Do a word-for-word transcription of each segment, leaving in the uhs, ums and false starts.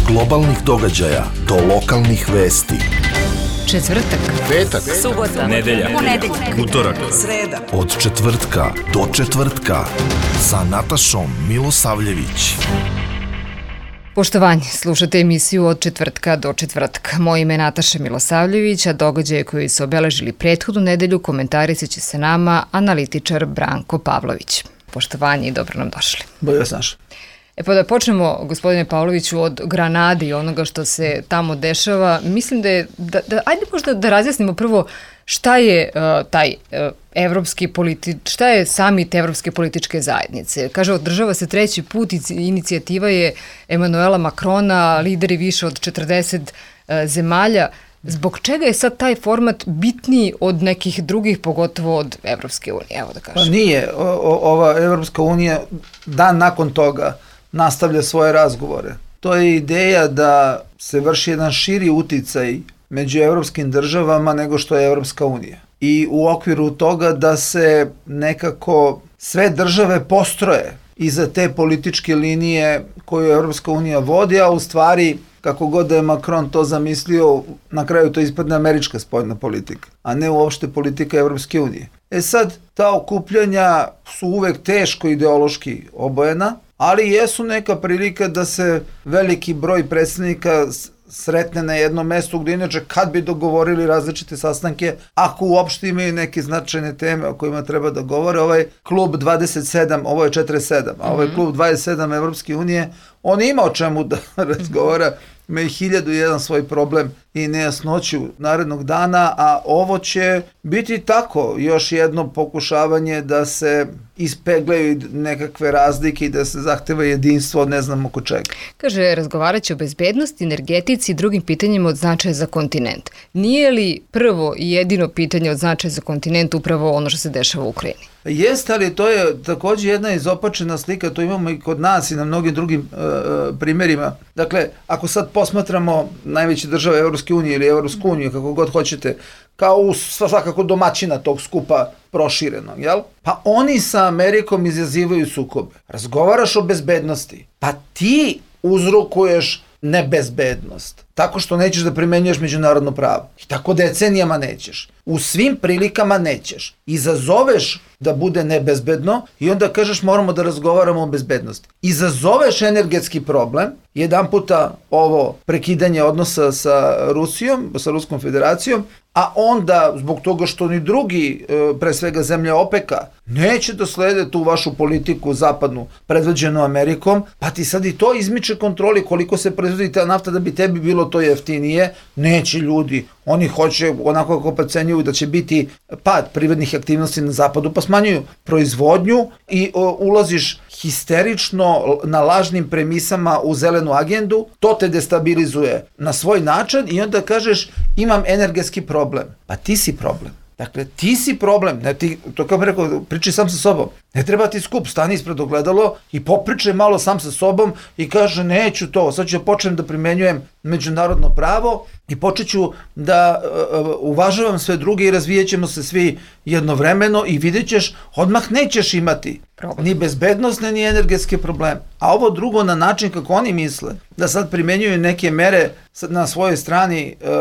globalnih događaja do lokalnih vesti. Četvrtak, petak, subota, nedelja, ponedeljak, utorak, sreda. Od četvrtka do četvrtka sa Natašom Milosavljević. Poštovanje, slušate emisiju Od četvrtka do četvrtka. Moje ime je Nataša Milosavljević, a događaje koji su obeležili prethodnu nedelju komentarisat će se nama analitičar Branko Pavlović. Poštovanje i dobro nam došli. Bolje vas našli. E pa da počnemo, gospodine Pavloviću, od Granade i onoga što se tamo dešava. Mislim da je, da, da, ajde možda da razjasnimo prvo šta je uh, taj uh, evropski politi, šta je samit Evropske političke zajednice. Kaže, održava se treći put, inicijativa je Emanuela Makrona, lideri više od četrdeset uh, zemalja. Zbog čega je sad taj format bitniji od nekih drugih, pogotovo od Evropske unije, evo da kažem? Pa nije, o, o, ova Evropska unija dan nakon toga nastavlja svoje razgovore. To je ideja da se vrši jedan širi uticaj među evropskim državama nego što je Evropska unija. I u okviru toga da se nekako sve države postroje iza te političke linije koju Evropska unija vodi, a u stvari, kako god da je Macron to zamislio, na kraju to ispadne američka spoljna politika, a ne uopšte politika Evropske unije. E sad, ta okupljanja su uvek teško ideološki obojena, ali jesu neka prilika da se veliki broj predstavnika sretne na jednom mestu gdje inače kad bi dogovorili različite sastanke, ako uopšte imaju neke značajne teme o kojima treba da govore. Ovaj klub dvadeset sedam, ovo je četrdeset sedam, a ovaj klub dvadeset sedam Evropske unije, on ima o čemu da razgovara, ima i hiljadu jedan svoj problem i nejasnoću narednog dana, a ovo će biti tako, još jedno pokušavanje da se ispeglaju nekakve razlike i da se zahteva jedinstvo od ne znam oko čega. Kaže, razgovarat će o bezbednosti, energetici i drugim pitanjima od značaja za kontinent. Nije li prvo i jedino pitanje od značaja za kontinent upravo ono što se dešava u Ukrajini? Jeste, ali to je također jedna izopačena slika, to imamo i kod nas i na mnogim drugim uh, primjerima. Dakle, ako sad posmatramo najveće države Evropske unije ili Evropsku uniju, kako god hoćete, kao u svakako domaćina tog skupa prošireno, jel? Pa oni sa Amerikom izazivaju sukobe. Razgovaraš o bezbednosti, pa ti uzrokuješ nebezbednost, tako što nećeš da primenjuješ međunarodno pravo. I tako decenijama nećeš. U svim prilikama nećeš. Izazoveš da bude nebezbedno i onda kažeš moramo da razgovaramo o bezbednosti. Izazoveš energetski problem, jedan puta ovo prekidanje odnosa sa Rusijom, sa Ruskom federacijom, a onda zbog toga što ni drugi, pre svega zemlje OPEC-a, neće da slede tu vašu politiku zapadnu predvođenu Amerikom, pa ti sad i to izmiče kontroli koliko se proizvodi ta nafta da bi tebi bilo to jeftinije, neće ljudi. Oni hoće, onako kako procenjuju da će biti pad privrednih aktivnosti na zapadu, pa smanjuju proizvodnju i o, ulaziš histerično na lažnim premisama u zelenu agendu, to te destabilizuje na svoj način i onda kažeš imam energetski problem. Pa ti si problem. Dakle, ti si problem, ne, ti, to kao bih rekao, pričaj sam sa sobom. Ne treba ti skup, stani ispred ogledalo i popričaj malo sam sa sobom i kaže neću to, sad ću da počnem da primenjujem međunarodno pravo i počet ću da uh, uvažavam sve druge i razvijat ćemo se svi jednovremeno i vidjet ćeš, odmah nećeš imati problem. Ni bezbednostne, ni energetske probleme. A ovo drugo na način kako oni misle, da sad primenjuju neke mere na svojoj strani uh, uh,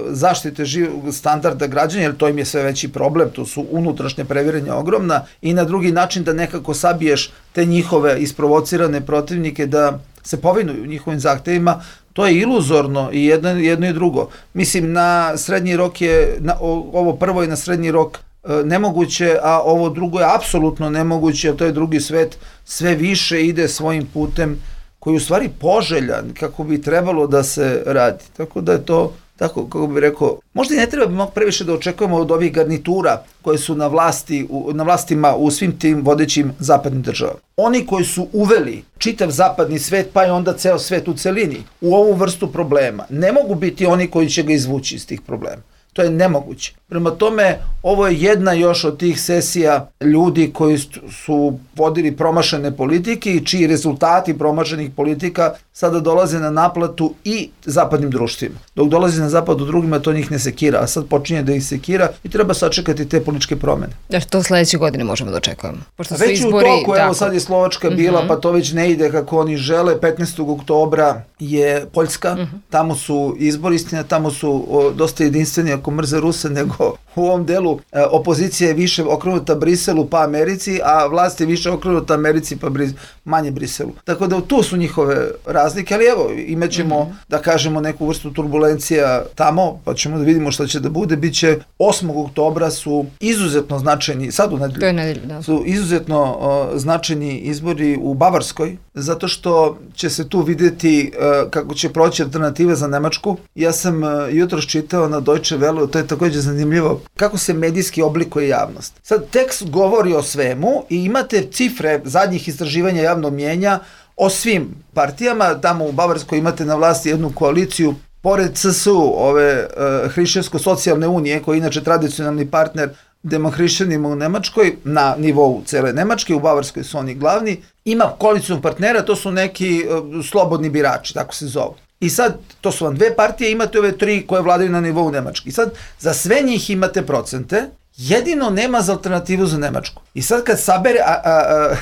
zaštite živog standarda građana, jer to im je sve veći problem, to su unutrašnje previrenja ogromna, i na drugi način da nekako sabiješ te njihove isprovocirane protivnike da se povinuju njihovim zahtevima, to je iluzorno i jedno, jedno i drugo. Mislim, na srednji rok je, na, ovo prvo je na srednji rok e, nemoguće, a ovo drugo je apsolutno nemoguće, a to je drugi svet sve više ide svojim putem koji je u stvari poželjan kako bi trebalo da se radi. Tako da je to, tako kako bih rekao, možda i ne treba bi mogu previše da očekujemo od ovih garnitura koje su na vlasti, u, na vlastima u svim tim vodećim zapadnim državama. Oni koji su uveli čitav zapadni svet, pa i onda ceo svet u celini, u ovu vrstu problema, ne mogu biti oni koji će ga izvući iz tih problema. To je nemoguće. Prema tome, ovo je jedna još od tih sesija ljudi koji su vodili promašene politike i čiji rezultati promašenih politika sada dolaze na naplatu i zapadnim društvima. Dok dolazi na zapadu drugima, to njih ne sekira, a sad počinje da ih sekira i treba sačekati te političke promene. Da što sledeće godine možemo da očekujemo? Pošto već su izbori, u toku, tako. Evo sad je Slovačka bila, mm-hmm. pa to već ne ide kako oni žele. petnaestog oktobra je Poljska, mm-hmm. tamo su izbori, istina, tamo su o, dosta jedinstveni ako mrze Ruse, nego u ovom delu e, opozicija je više okrenuta Briselu pa Americi, a vlast je više okrenuta Americi pa Bris, manje Briselu. Tako da tu su njihove razlike, ali evo, imat ćemo, mm-hmm. da kažemo, neku vrstu turbulencija tamo, pa ćemo da vidimo šta će da bude. Biće osmog oktobra su izuzetno značajni, sad u nedelju, to je nedelju, da. Su izuzetno o, značajni izbori u Bavarskoj, zato što će se tu videti uh, kako će proći alternativa za Nemačku. Ja sam uh, jutros čitao na Deutsche Welle, to je takođe zanimljivo, kako se medijski oblikuje javnost. Sad tekst govori o svemu i imate cifre zadnjih istraživanja javnog mnjenja o svim partijama. Tamo u Bavarskoj imate na vlasti jednu koaliciju, pored C S U, ove uh, Hrišćansko-socijalne unije, koji je inače tradicionalni partner demohrišćanima u Nemačkoj, na nivou cele Nemačke, u Bavarskoj su oni glavni, ima koalicijnog partnera, to su neki uh, slobodni birači, tako se zovu. I sad, to su vam dve partije, imate ove tri koje vladaju na nivou Nemačke. I sad, za sve njih imate procente, jedino nema za alternativu za Nemačku. I sad kad sabere, a, a,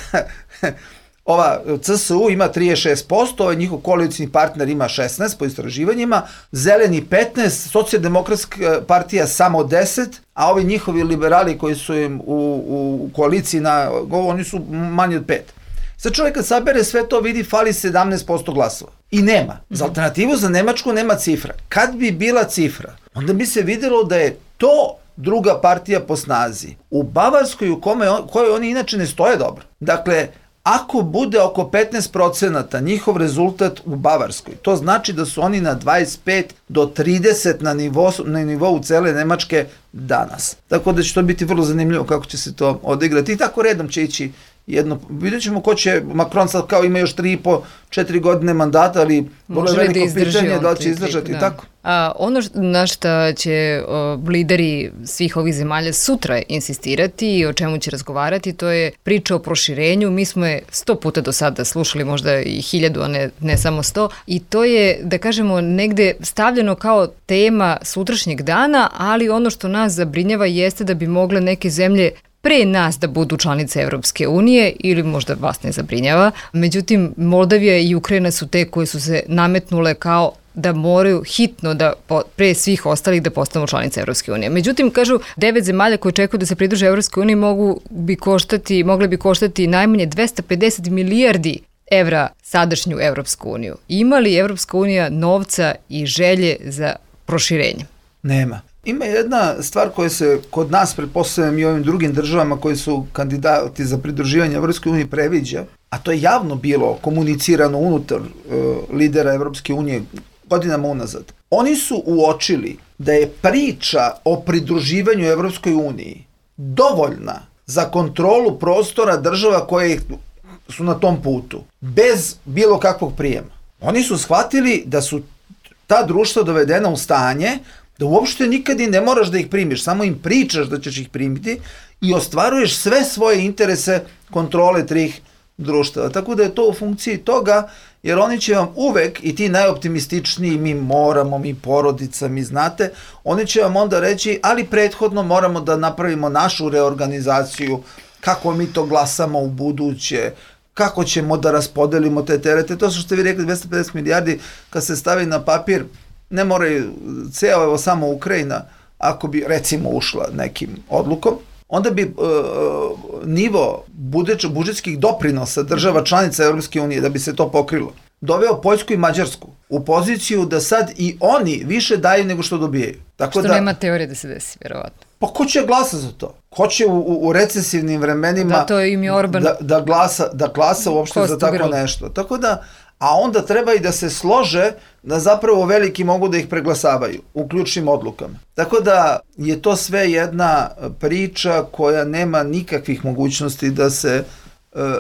a, ova C S U ima trideset šest posto, ovaj njihov koalicijni partner ima šesnaest po istraživanjima, zeleni petnaest, socijaldemokratska partija samo deset, a ovi njihovi liberali koji su im u, u koaliciji, na, oni su manje od pet. Sad čovjek kad sabere sve to vidi, fali sedamnaest posto glasova. I nema. Za alternativu za Nemačku nema cifra. Kad bi bila cifra, onda bi se videlo da je to druga partija po snazi. U Bavarskoj, u kome on, kojoj oni inače ne stoje dobro. Dakle, ako bude oko petnaest procenata njihov rezultat u Bavarskoj, to znači da su oni na dvadeset pet do trideset na nivou, na nivou cele Nemačke danas. Tako da će to biti vrlo zanimljivo kako će se to odigrati. I tako redom će ići jedno, vidjet ćemo ko će, Macron sad kao ima još tri i po, četiri godine mandata, ali može veliko da pitanje da li će izdržati, da. Tako. A, ono što, na šta će o, lideri svih ovih zemalja sutra insistirati i o čemu će razgovarati, to je priča o proširenju. Mi smo je sto puta do sada slušali, možda i hiljadu, a ne, ne samo sto, i to je, da kažemo, negde stavljeno kao tema sutrašnjeg dana, ali ono što nas zabrinjava jeste da bi mogle neke zemlje pre nas da budu članice Evropske unije, ili možda vas ne zabrinjava. Međutim, Moldavija i Ukrajina su te koje su se nametnule kao da moraju hitno da pre svih ostalih da postanu članice Evropske unije. Međutim, kažu, devet zemalja koje čekuju da se pridruže Evropskoj uniji mogu bi koštati, mogle bi koštati najmanje dvesta pedeset milijardi evra sadašnju Evropsku uniju. Ima li Evropska unija novca i želje za proširenje? Nema. Ima jedna stvar koja se kod nas, pretpostavljam i ovim drugim državama koji su kandidati za pridruživanje Evropskoj uniji previđa, a to je javno bilo komunicirano unutar uh, lidera Evropske unije godinama unazad. Oni su uočili da je priča o pridruživanju Evropskoj uniji dovoljna za kontrolu prostora država koje su na tom putu, bez bilo kakvog prijema. Oni su shvatili da su ta društva dovedena u stanje da uopšte nikad i ne moraš da ih primiš, samo im pričaš da ćeš ih primiti i ostvaruješ sve svoje interese kontrole trih društava. Tako da je to u funkciji toga, jer oni će vam uvek, i ti najoptimističniji, mi moramo, mi porodica, mi znate, oni će vam onda reći, ali prethodno moramo da napravimo našu reorganizaciju, kako mi to glasamo u buduće, kako ćemo da raspodelimo te terete. To su što vi rekli, dvesta pedeset milijardi, kad se stavi na papir, ne moraju ceo, evo samo Ukrajina, ako bi recimo ušla nekim odlukom, onda bi e, nivo budžet, budžetskih doprinosa država članica Evropske unije, da bi se to pokrilo, doveo Poljsku i Mađarsku u poziciju da sad i oni više daju nego što dobijaju. Tako što da, nema teorije da se desi, vjerovatno. Pa ko će glasa za to? Ko će u, u, u recesivnim vremenima da, to im je Orban da, da, glasa, da glasa uopšte za tako nešto? Tako da, a onda treba i da se slože da zapravo veliki mogu da ih preglasavaju u ključnim odlukama. Tako da je to sve jedna priča koja nema nikakvih mogućnosti da se e,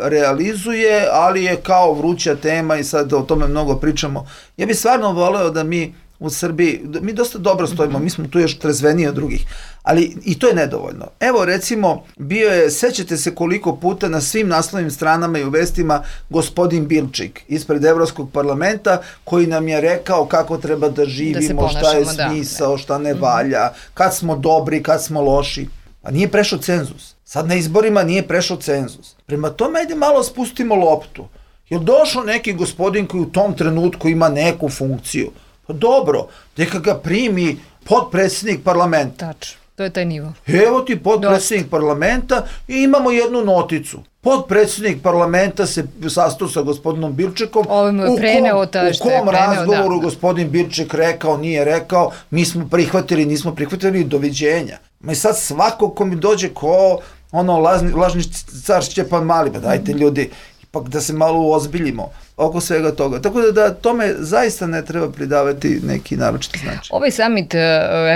realizuje, ali je kao vruća tema i sad o tome mnogo pričamo. Ja bih stvarno voleo da mi u Srbiji, mi dosta dobro stojimo, mi smo tu još trezveniji od drugih, ali i to je nedovoljno. Evo recimo, bio je, sećate se koliko puta na svim naslovnim stranama i u vestima gospodin Bilčik ispred Evropskog parlamenta koji nam je rekao kako treba da živimo, da šta je smisao, da, šta ne valja, kad smo dobri, kad smo loši. A nije prešao cenzus. Sad na izborima nije prešao cenzus. Prema tome, ajde malo spustimo loptu. Jel došao neki gospodin koji u tom trenutku ima neku funkciju? Pa dobro, neka ga primi potpredsjednik parlamenta. Tačno, to je taj nivo. Evo ti potpredsjednik Dost. parlamenta i imamo jednu noticu. Potpredsjednik parlamenta se sastao sa gospodinom Bilčekom. Ovo mu je preneo ta što je preneo. U kom razgovoru da, da. gospodin Bilček rekao, nije rekao, mi smo prihvatili, nismo prihvatili, doviđenja. Ma i sad svako ko mi dođe ko ono lažni, lažni car Šćepan Mali, pa dajte ljudi, ipak da se malo uozbiljimo oko svega toga. Tako da, da tome zaista ne treba pridavati neki naročiti značaj. Ovaj samit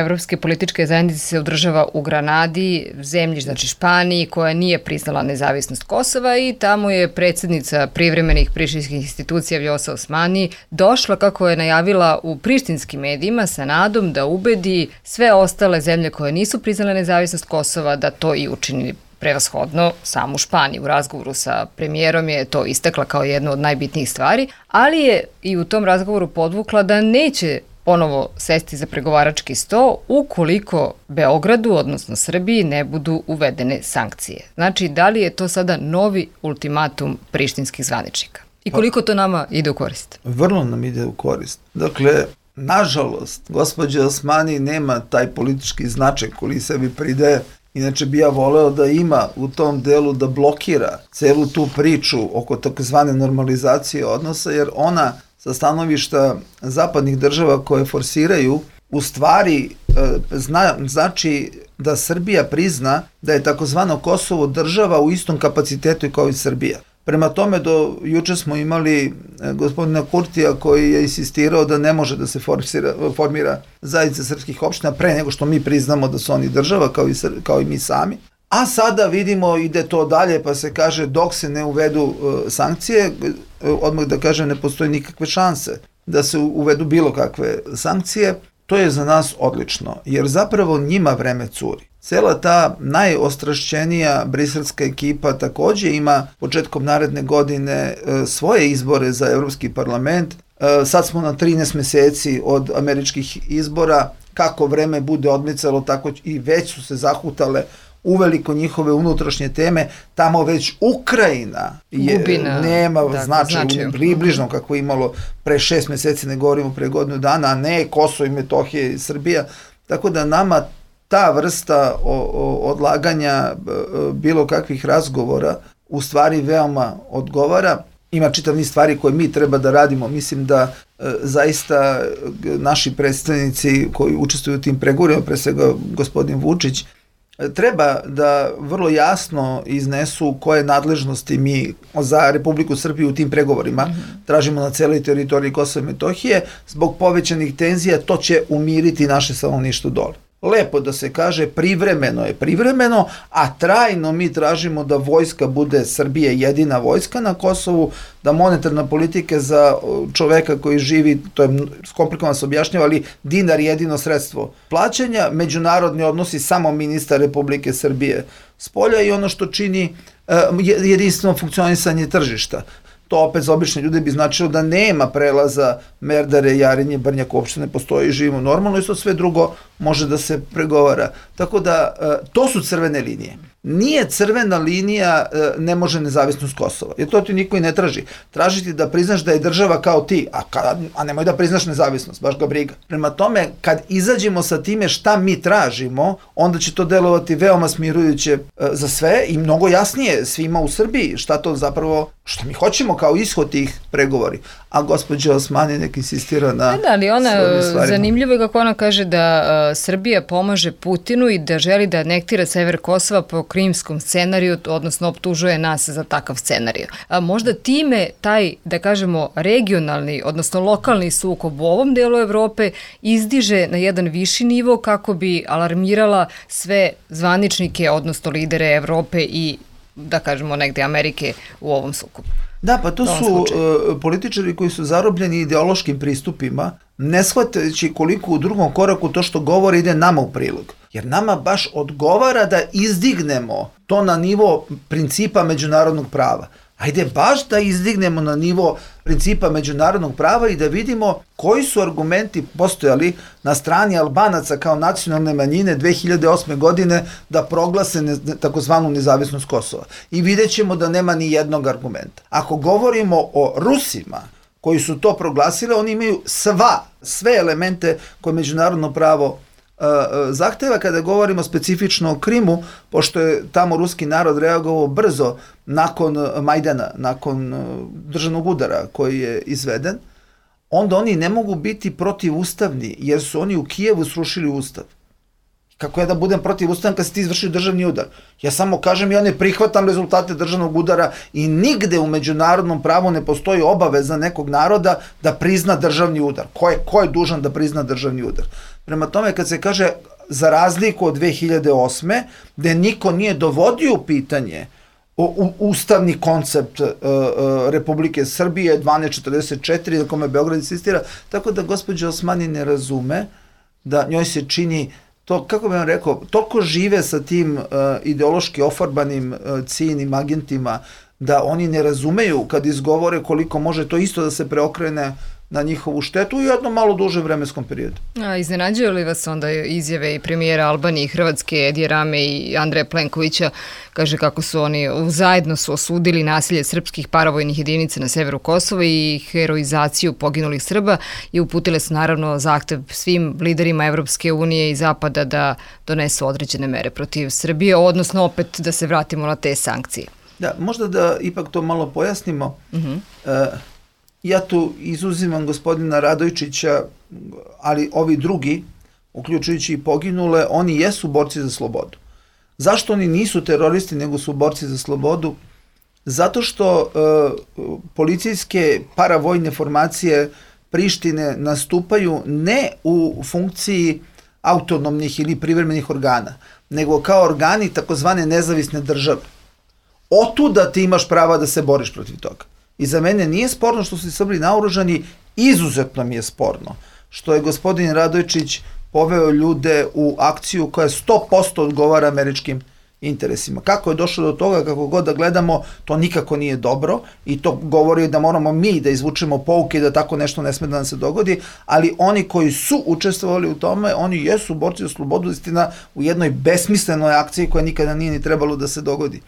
Evropske političke zajednice se održava u Granadi, zemlji, znači Španiji, koja nije priznala nezavisnost Kosova i tamo je predsjednica privremenih prištinskih institucija Vjosa Osmani došla, kako je najavila u prištinskim medijima, sa nadom da ubedi sve ostale zemlje koje nisu priznale nezavisnost Kosova da to i učini prevashodno samu Španiju. U razgovoru sa premijerom je to istakla kao jednu od najbitnijih stvari, ali je i u tom razgovoru podvukla da neće ponovo sesti za pregovarački sto ukoliko Beogradu, odnosno Srbiji, ne budu uvedene sankcije. Znači, da li je to sada novi ultimatum prištinskih zvaničnika? I koliko to nama ide u korist? Vrlo nam ide u korist. Dakle, nažalost, gospođa Osmani nema taj politički značaj koji sebi pridaje. Inače bi ja voleo da ima u tom delu da blokira celu tu priču oko takozvane normalizacije odnosa, jer ona sa stanovišta zapadnih država koje forsiraju u stvari zna, znači da Srbija prizna da je takozvano Kosovo država u istom kapacitetu kao i Srbija. Prema tome, do juče smo imali gospodina Kurtija koji je insistirao da ne može da se forsira, formira zajednica srpskih opština pre nego što mi priznamo da su oni država kao i, kao i mi sami. A sada vidimo ide to dalje pa se kaže dok se ne uvedu uh, sankcije, odmah da kažem ne postoji nikakve šanse da se uvedu bilo kakve sankcije. To je za nas odlično, jer zapravo njima vreme curi. Cela ta najostrašćenija briselska ekipa takođe ima početkom naredne godine e, svoje izbore za Evropski parlament. E, sad smo na trinaest meseci od američkih izbora. Kako vreme bude odmicalo, tako i već su se zahutale uveliko njihove unutrašnje teme. Tamo već Ukrajina je, Gubina, nema da, značaj približno kako je imalo pre šest meseci, ne govorimo pre godinu dana, a ne Kosovo i Metohija i Srbija. Tako da nama ta vrsta o, o, odlaganja bilo kakvih razgovora u stvari veoma odgovara. Ima čitav niz stvari koje mi treba da radimo. Mislim da e, zaista naši predstavnici koji učestvuju u tim pregovorima, pre svega gospodin Vučić, treba da vrlo jasno iznesu koje nadležnosti mi za Republiku Srbiju u tim pregovorima mm-hmm. tražimo na celoj teritoriji Kosova i Metohije. Zbog povećanih tenzija to će umiriti naše stanovništvo dole. Lepo da se kaže privremeno je privremeno, a trajno mi tražimo da vojska bude Srbije jedina vojska na Kosovu, da monetarna politika za čoveka koji živi, to je komplikovano se objašnjava, ali dinar je jedino sredstvo plaćanja, međunarodni odnosi samo ministar Republike Srbije spolja i ono što čini uh, jedinstveno funkcionisanje tržišta. To opet za obične ljude bi značilo da nema prelaza Merdare, Jarinje, Brnjak, uopšte ne postoji, živimo normalno i to sve drugo može da se pregovara. Tako da, to su crvene linije. Nije crvena linija, ne može nezavisnost Kosova, jer to ti niko i ne traži. Tražiti da priznaš da je država kao ti, a, kad, a nemoj da priznaš nezavisnost, baš ga briga. Prema tome, kad izađemo sa time šta mi tražimo, onda će to delovati veoma smirujuće za sve i mnogo jasnije svima u Srbiji šta to zapravo, što mi hoćemo kao ishod tih pregovori. A gospođa Osmani nek insistira na... Da, ali ona, zanimljivo je kako ona kaže da uh, Srbija pomaže Putinu i da želi da anektira sever Kosova po krimskom scenariju, odnosno optužuje nas za takav scenariju. A možda time taj, da kažemo, regionalni, odnosno lokalni sukob u ovom delu Evrope izdiže na jedan viši nivo kako bi alarmirala sve zvaničnike, odnosno lidere Evrope i, da kažemo, negde Amerike u ovom sukobu. Da, pa to su uh, političari koji su zarobljeni ideološkim pristupima, ne shvatajući koliko u drugom koraku to što govori ide nama u prilog. Jer nama baš odgovara da izdignemo to na nivo principa međunarodnog prava. Ajde baš da izdignemo na nivo principa međunarodnog prava i da vidimo koji su argumenti postojali na strani Albanaca kao nacionalne manjine dve hiljade osme godine da proglase ne, takozvanu nezavisnost Kosova. I vidjet ćemo da nema ni jednog argumenta. Ako govorimo o Rusima koji su to proglasili, oni imaju sva, sve elemente koje međunarodno pravo zahteva. Kada govorimo specifično o Krimu, pošto je tamo ruski narod reagovao brzo nakon Majdana, nakon državnog udara koji je izveden, onda oni ne mogu biti protivustavni, jer su oni u Kijevu srušili ustav. Kako ja da budem protivustavan kad si ti izvršio državni udar? Ja samo kažem, ja ne prihvatam rezultate državnog udara i nigde u međunarodnom pravu ne postoji obaveza nekog naroda da prizna državni udar. Ko je, ko je dužan da prizna državni udar? Prema tome, kad se kaže za razliku od dve hiljade osme, gde niko nije dovodio u pitanje u, u, ustavni koncept uh, uh, Republike Srbije dvanaest četrdeset četiri, na kome Beograd insistira, tako da gospođa Osmani ne razume da njoj se čini to, kako bih vam rekao, toliko žive sa tim uh, ideološki ofarbanim uh, ciljnim agentima da oni ne razumeju kad izgovore koliko može to isto da se preokrene na njihovu štetu u jednom malo dužem vremenskom periodu. A iznenađuju li vas onda izjave i premijera Albanije i Hrvatske Edija Rame i Andreja Plenkovića, kaže kako su oni zajedno su osudili nasilje srpskih paravojnih jedinica na severu Kosova i heroizaciju poginulih Srba i uputile su naravno zahtev svim liderima Evropske unije i Zapada da donesu određene mere protiv Srbije, odnosno opet da se vratimo na te sankcije. Da, možda da ipak to malo pojasnimo. Uh-huh. Uh, Ja tu izuzimam gospodina Radojčića, ali ovi drugi, uključujući i poginule, oni jesu borci za slobodu. Zašto oni nisu teroristi, nego su borci za slobodu? Zato što e, policijske paravojne formacije Prištine nastupaju ne u funkciji autonomnih ili privremenih organa, nego kao organi takozvane nezavisne države. Otuda ti imaš prava da se boriš protiv toga. I za mene nije sporno što su Srbi naoružani, izuzetno mi je sporno što je gospodin Radojčić poveo ljude u akciju koja sto posto odgovara američkim interesima. Kako je došlo do toga, kako god da gledamo, to nikako nije dobro i to govori da moramo mi da izvučemo pouke i da tako nešto ne sme da nam se dogodi, ali oni koji su učestvovali u tome, oni jesu borci za slobodu, istina, u jednoj besmislenoj akciji koja nikada nije ni trebalo da se dogodi.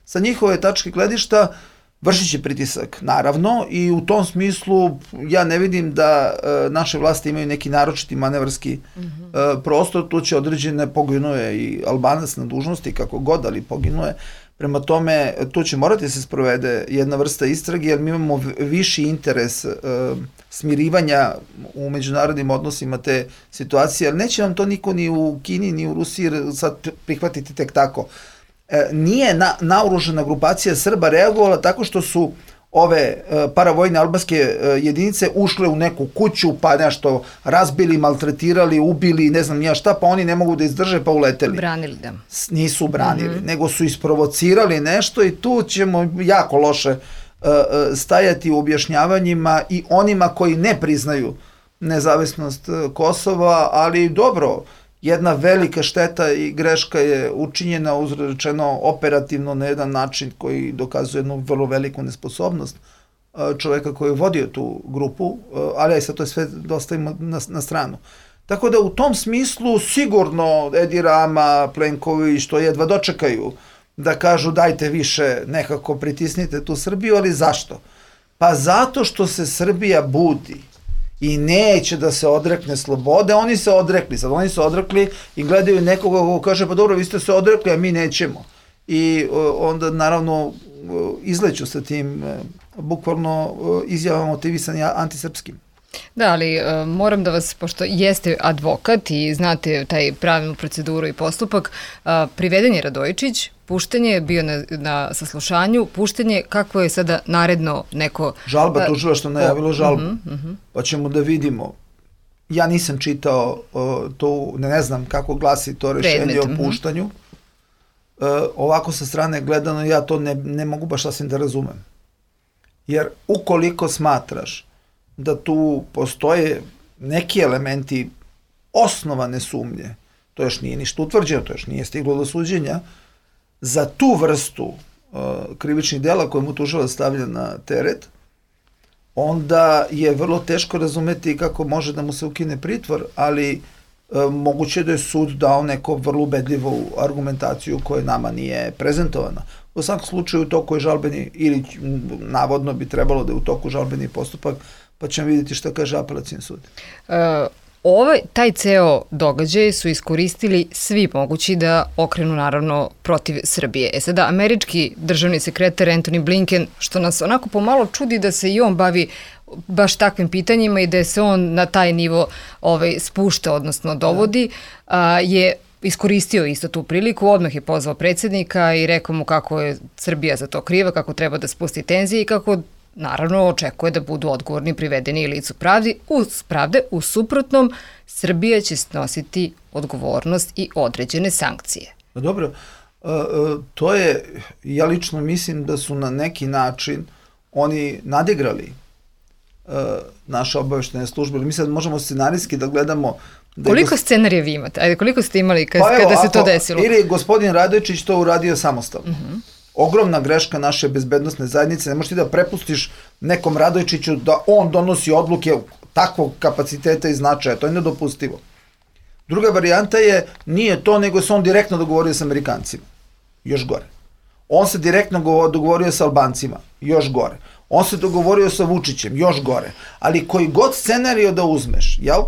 Sa njihove tačke gledišta vršit će pritisak, naravno, i u tom smislu ja ne vidim da e, naše vlasti imaju neki naročiti manevarski mm-hmm. e, prostor, tu će određene poginuje i Albanac na dužnosti, kako god, ali poginuje. Prema tome, tu će morati se sprovede jedna vrsta istrage, jer mi imamo viši interes e, smirivanja u međunarodnim odnosima te situacije, ali neće nam to niko ni u Kini, ni u Rusiji sad prihvatiti tek tako. E, nije na, naoružana grupacija Srba reagovala tako što su ove e, paravojne albanske e, jedinice ušle u neku kuću, pa nešto razbili, maltretirali, ubili, ne znam nija šta, pa oni ne mogu da izdrže, pa uleteli. Branili da. Nisu branili, mm-hmm. nego su isprovocirali nešto i tu ćemo jako loše e, stajati u objašnjavanjima i onima koji ne priznaju nezavisnost Kosova, ali dobro, jedna velika šteta i greška je učinjena, uzrečeno operativno na jedan način koji dokazuje jednu vrlo veliku nesposobnost čoveka koji je vodio tu grupu, ali aj sad to je sve dostavimo na, na stranu. Tako da u tom smislu sigurno Edi Rama, Plenković, što jedva dočekaju da kažu dajte više, nekako pritisnite tu Srbiju, ali zašto? Pa zato što se Srbija budi i neće da se odrekne slobode, oni se odrekli, sad oni se odrekli i gledaju nekoga ko kaže pa dobro vi ste se odrekli, a mi nećemo. I onda naravno izleću sa tim bukvalno izjavama motivisani antisrpskim. Da, ali uh, moram da vas, pošto jeste advokat i znate taj pravilnu proceduru i postupak, uh, priveden je Radojičić, pušten je, bio na, na saslušanju, pušten je, kako je sada naredno neko... Žalba, uh, tužilaštvo najavilo žalbu, uh-huh, uh-huh. pa ćemo da vidimo. Ja nisam čitao uh, to, ne, ne znam kako glasi to rešenje Predmet, o puštanju. Uh-huh. Uh, ovako sa strane gledano ja to ne, ne mogu baš sasvim da razumem. Jer ukoliko smatraš da tu postoje neki elementi osnovane sumnje, to još nije ništa utvrđeno, to još nije stiglo do suđenja, za tu vrstu uh, krivičnih dela koje mu tužilac stavlja na teret, onda je vrlo teško razumeti kako može da mu se ukine pritvor, ali uh, moguće da je sud dao neko vrlo ubedljivu argumentaciju koja nama nije prezentovana. U svakom slučaju u toku je žalbeni, ili navodno bi trebalo da je u toku žalbeni postupak, pa ćemo vidjeti šta kaže apelacijni sud. Uh, ovaj, taj ceo događaj su iskoristili svi mogući da okrenu naravno protiv Srbije. E sada, američki državni sekretar Antony Blinken, što nas onako pomalo čudi da se i on bavi baš takvim pitanjima i da se on na taj nivo ovaj, spušta, odnosno dovodi, a, je iskoristio isto tu priliku, odmah je pozvao predsjednika i rekao mu kako je Srbija za to kriva, kako treba da spusti tenzije i kako naravno očekuje da budu odgovorni privedeni licu pravdi, uz pravde, u suprotnom Srbija će snositi odgovornost i određene sankcije. Dobro, to je, ja lično mislim da su na neki način oni nadigrali naše obaveštene službe. Mi sad možemo scenarijski da gledamo... Da koliko gos... scenarija vi imate? Ajde, koliko ste imali kad, pa evo, kada se to desilo? Ili gospodin Radojičić to uradio samostalno. Uh-huh. Ogromna greška naše bezbednosne zajednice. Ne možeš ti da prepustiš nekom Radojičiću da on donosi odluke takvog kapaciteta i značaja. To je nedopustivo. Druga varijanta je, nije to, nego se on direktno dogovorio s Amerikancima. Još gore. On se direktno dogovorio sa Albancima. Još gore. On se dogovorio sa Vučićem. Još gore. Ali koji god scenario da uzmeš, jel?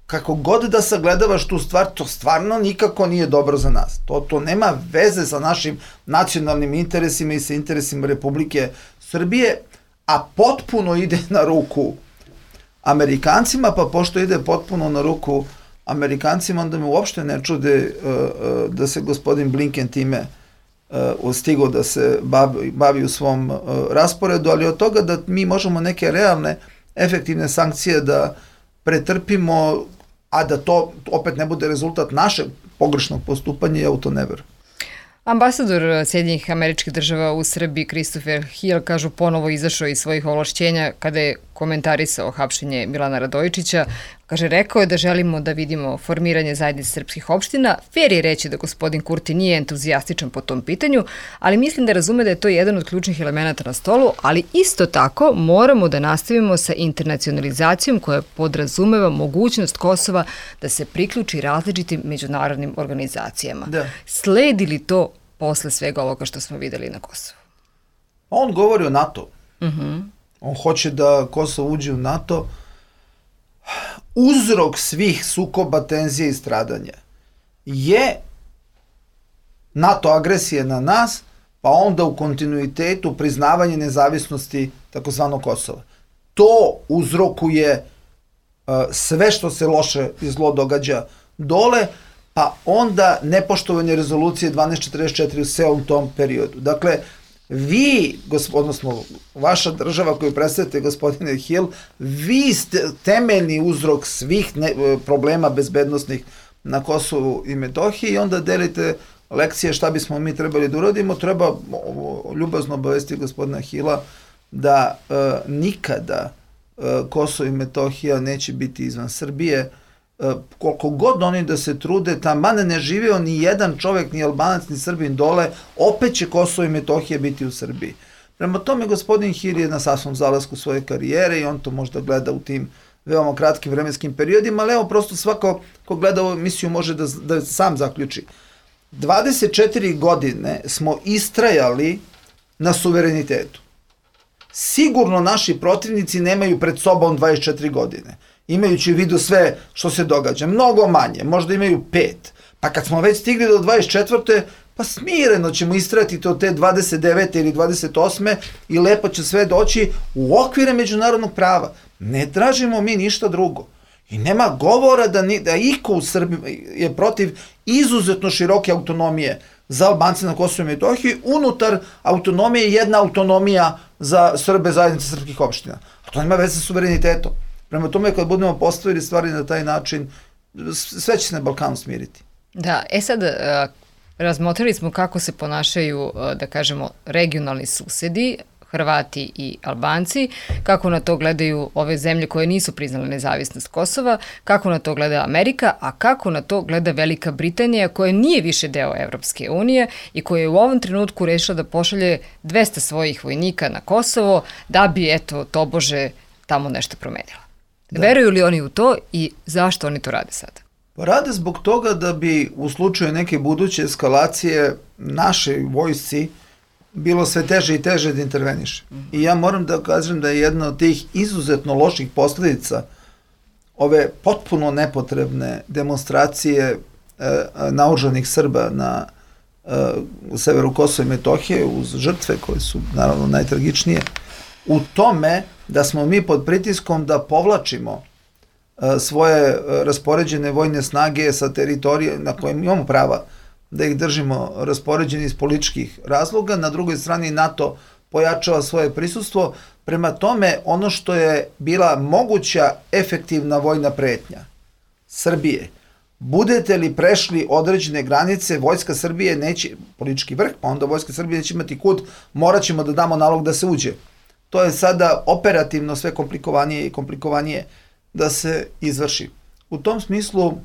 Kako god da sagledavaš tu stvar, to stvarno nikako nije dobro za nas. To, to nema veze sa našim nacionalnim interesima i sa interesima Republike Srbije, a potpuno ide na ruku Amerikancima, pa pošto ide potpuno na ruku Amerikancima, onda me uopšte ne čude uh, uh, da se gospodin Blinken time uh, stigao da se bavi, bavi u svom uh, rasporedu, ali od toga da mi možemo neke realne, efektivne sankcije da pretrpimo, a da to opet ne bude rezultat našeg pogrešnog postupanja, ja u to ne verujem. Ambasador Sjedinjenih Američkih Država u Srbiji Christopher Hill, kažu, ponovo izašao iz svojih ovlašćenja kada je komentarisao hapšenje Milana Radojičića. Kaže, rekao je da želimo da vidimo formiranje zajednice srpskih opština. Fer je reći da gospodin Kurti nije entuzijastičan po tom pitanju, ali mislim da razume da je to jedan od ključnih elemenata na stolu, ali isto tako moramo da nastavimo sa internacionalizacijom koja podrazumeva mogućnost Kosova da se priključi različitim međunarodnim organizacijama. Da. Sledi li to posle svega ovoga što smo videli na Kosovu? On govori o NATO. Uh-huh. On hoće da Kosovo uđe u NATO. Uzrok svih sukoba, tenzije i stradanja je NATO agresije na nas, pa onda u kontinuitetu priznavanje nezavisnosti takozvanog Kosova. To uzrokuje uh, sve što se loše i zlo događa dole, pa onda nepoštovanje rezolucije dvanaest četrdeset četiri u celom tom periodu. Dakle, vi, odnosno vaša država koju predstavljate, gospodine Hill, vi ste temeljni uzrok svih ne, problema bezbednosnih na Kosovu i Metohiji i onda delite lekcije šta bismo mi trebali da uradimo. Treba ljubazno obavesti gospodina Hilla da e, nikada e, Kosovo i Metohija neće biti izvan Srbije. E, koliko god oni da se trude, taman ne živeo ni jedan čovjek, ni Albanac, ni Srbin dole, opet će Kosovo i Metohija biti u Srbiji. Prema tome, gospodin Hill je na sasvom zalasku svoje karijere i on to možda gleda u tim veoma kratkim vremenskim periodima, ali evo, prosto svako ko gleda ovu emisiju može da, da sam zaključi. dvadeset četiri godine smo istrajali na suverenitetu. Sigurno naši protivnici nemaju pred sobom dvadeset četiri godine. Imajući u vidu sve što se događa. Mnogo manje, možda imaju pet. Pa kad smo već stigli do dvadeset četvrte pa smireno ćemo istrajati to te dvadeset devete ili dvadeset osme i lepo će sve doći u okvire međunarodnog prava. Ne tražimo mi ništa drugo. I nema govora da, ni, da iko u Srbiji je protiv izuzetno široke autonomije za Albance na Kosovu i Metohiji. Unutar autonomije jedna autonomija za Srbe, zajednice srpskih opština. A to nema veze sa suverenitetom. Prema tome, kad budemo postavili stvari na taj način, sve će se na Balkanu smiriti. Da, e sad, razmotrili smo kako se ponašaju, da kažemo, regionalni susedi. Hrvati i Albanci, kako na to gledaju ove zemlje koje nisu priznale nezavisnost Kosova, kako na to gleda Amerika, a kako na to gleda Velika Britanija koja nije više deo Evropske unije i koja je u ovom trenutku rešila da pošalje dvesta svojih vojnika na Kosovo da bi, eto, tobože tamo nešto promenila. Da. Veruju li oni u to i zašto oni to rade sada? Rade zbog toga da bi u slučaju neke buduće eskalacije našoj vojsci bilo sve teže i teže da interveniše. I ja moram da kažem da je jedna od tih izuzetno loših posledica ove potpuno nepotrebne demonstracije e, naoružanih Srba na e, severu Kosova i Metohije uz žrtve koje su naravno najtragičnije, u tome da smo mi pod pritiskom da povlačimo e, svoje e, raspoređene vojne snage sa teritorije na kojem imamo prava da ih držimo raspoređeni iz političkih razloga. Na drugoj strani NATO pojačava svoje prisustvo. Prema tome, ono što je bila moguća efektivna vojna pretnja Srbije, budete li prešli određene granice, Vojska Srbije neće, politički vrh, pa onda Vojska Srbije neće imati kud, morat ćemo da damo nalog da se uđe. To je sada operativno sve komplikovanije i komplikovanije da se izvrši. U tom smislu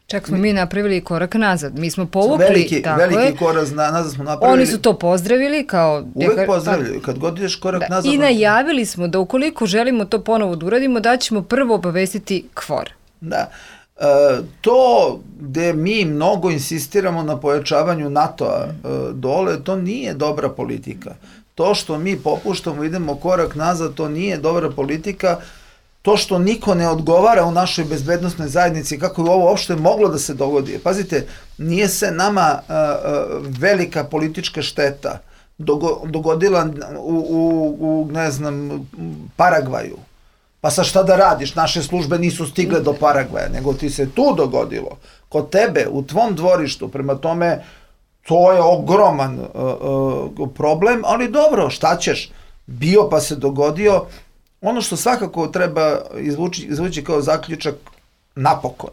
čak smo mi napravili korak nazad. Mi smo povukli, veliki, tako veliki je. korak nazad smo napravili. Oni su to pozdravili kao... Uvek pozdravljaju, kad god ideš korak da, nazad. I najavili smo da ukoliko želimo to ponovo da uradimo, da ćemo prvo obavestiti KFOR. Da. E, to gde mi mnogo insistiramo na pojačavanju NATO-a e, dole, to nije dobra politika. To što mi popuštamo, idemo korak nazad, to nije dobra politika. To što niko ne odgovara u našoj bezbednosnoj zajednici, kako je ovo uopšte moglo da se dogodi. Pazite, nije se nama uh, uh, velika politička šteta dogo, dogodila u, u, u, ne znam, Paragvaju. Pa sa šta da radiš? Naše službe nisu stigle do Paragvaja, nego ti se tu dogodilo. Kod tebe, u tvom dvorištu, prema tome, to je ogroman uh, uh, problem, ali dobro, šta ćeš? Bio pa se dogodio. Ono što svakako treba izvući, izvući kao zaključak napokon,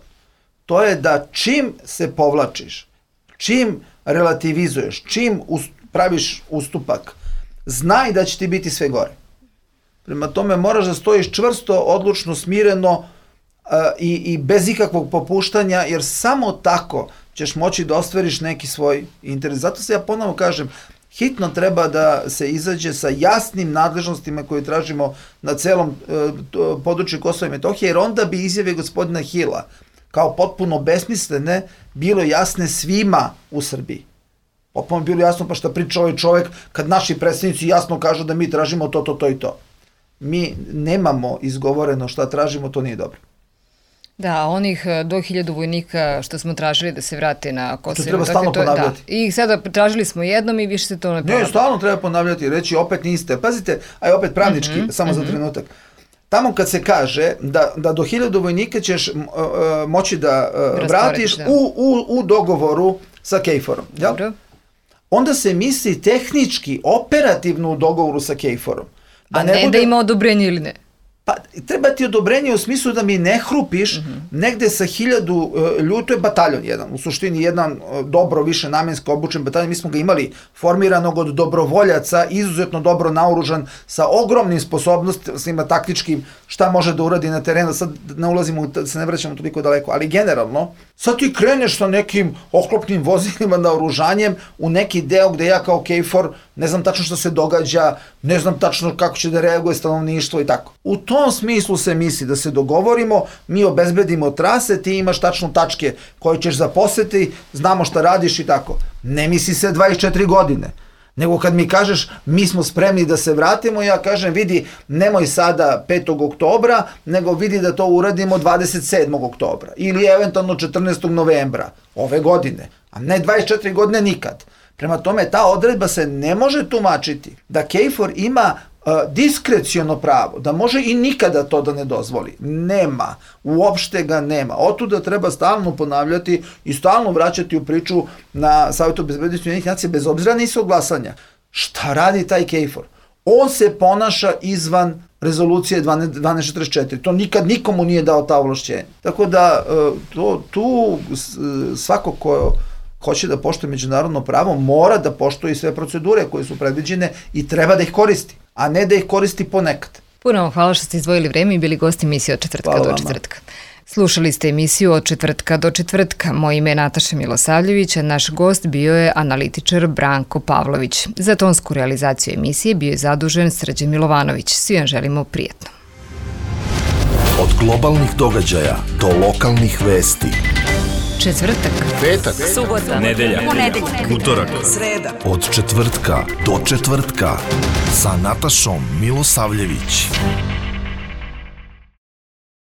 to je da čim se povlačiš, čim relativizuješ, čim ust, praviš ustupak, znaj da će ti biti sve gore. Prema tome moraš da stojiš čvrsto, odlučno, smireno uh, i, i bez ikakvog popuštanja, jer samo tako ćeš moći da ostvariš neki svoj interes. Zato se ja ponovo kažem, hitno treba da se izađe sa jasnim nadležnostima koje tražimo na celom e, području Kosova i Metohije, jer onda bi izjave gospodina Hila kao potpuno besmislene bilo jasne svima u Srbiji. Potpuno bilo jasno pa šta priča ovaj čovek kad naši predstavnici jasno kažu da mi tražimo to, to, to i to. Mi nemamo izgovoreno šta tražimo, to nije dobro. Da, onih do hiljadu vojnika što smo tražili da se vrate na Kosovo. To treba stalno to je, ponavljati. Da. I sada tražili smo jednom i više se to ne ponavlja. Ne, stalno treba ponavljati, reći opet niste. Pazite, aj opet pravnički, mm-hmm, samo mm-hmm. za trenutak. Tamo kad se kaže da, da do hiljadu vojnika ćeš uh, moći da uh, vratiš da. U, u, u dogovoru sa KFOR-om. Jel? Onda se misli tehnički, operativno u dogovoru sa KFOR-om. Da A ne, ne bude... da ima odobrenje ili ne? Pa treba ti odobrenje u smislu da mi ne hrupiš mm-hmm. negde sa hiljadu uh, ljudi, to je bataljon jedan, u suštini jedan uh, dobro više namensko obučen bataljon, mi smo ga imali formiranog od dobrovoljaca, izuzetno dobro naoružan, sa ogromnim sposobnostima taktičkim, šta može da uradi na terenu, sad ne ulazimo, da se ne vraćamo toliko daleko, ali generalno, sad ti kreneš sa nekim oklopnim vozilima naoružanjem u neki deo gde ja kao KFOR ne znam tačno što se događa, ne znam tačno kako će da reaguje stanovništvo i tako. U tom smislu se misli da se dogovorimo, mi obezbedimo trase, ti imaš tačno tačke koje ćeš zaposeti, znamo šta radiš i tako. Ne misli se dvadeset četiri godine, nego kad mi kažeš mi smo spremni da se vratimo, ja kažem vidi nemoj sada petog oktobra, nego vidi da to uradimo dvadeset sedmog oktobra ili eventualno četrnaestog novembra ove godine, a ne dvadeset četiri godine nikad. Prema tome, ta odredba se ne može tumačiti da KFOR ima uh, diskreciono pravo, da može i nikada to da ne dozvoli. Nema. Uopšte ga nema. Otuda treba stalno ponavljati i stalno vraćati u priču na Savjetu bezbednosti Ujedinjenih nacija bez obzira na ishod glasanja. Šta radi taj KFOR? On se ponaša izvan rezolucije dvanaest četrdeset četiri. To nikad nikomu nije dao ta ovlašćenja. Tako da uh, to, tu svako ko hoće da poštuje međunarodno pravo, mora da poštuje sve procedure koje su predviđene i treba da ih koristi. a ne da ih koristi ponekad. Puno vam hvala što ste izdvojili vreme i bili gosti emisije Od četvrtka Hvala do vama. četvrtka. Slušali ste emisiju Od četvrtka do četvrtka. Moje ime je Nataša Milosavljević, a naš gost bio je analitičar Branko Pavlović. Za tonsku realizaciju emisije bio je zadužen Srđan Milovanović. Svi vam želimo prijetno. Od globalnih događaja do lokalnih vesti. Četvrtak, Petak, subota, Nedelja, ponedeljak, utorak, sreda. od četvrtka do četvrtka sa Natašom Milosavljević.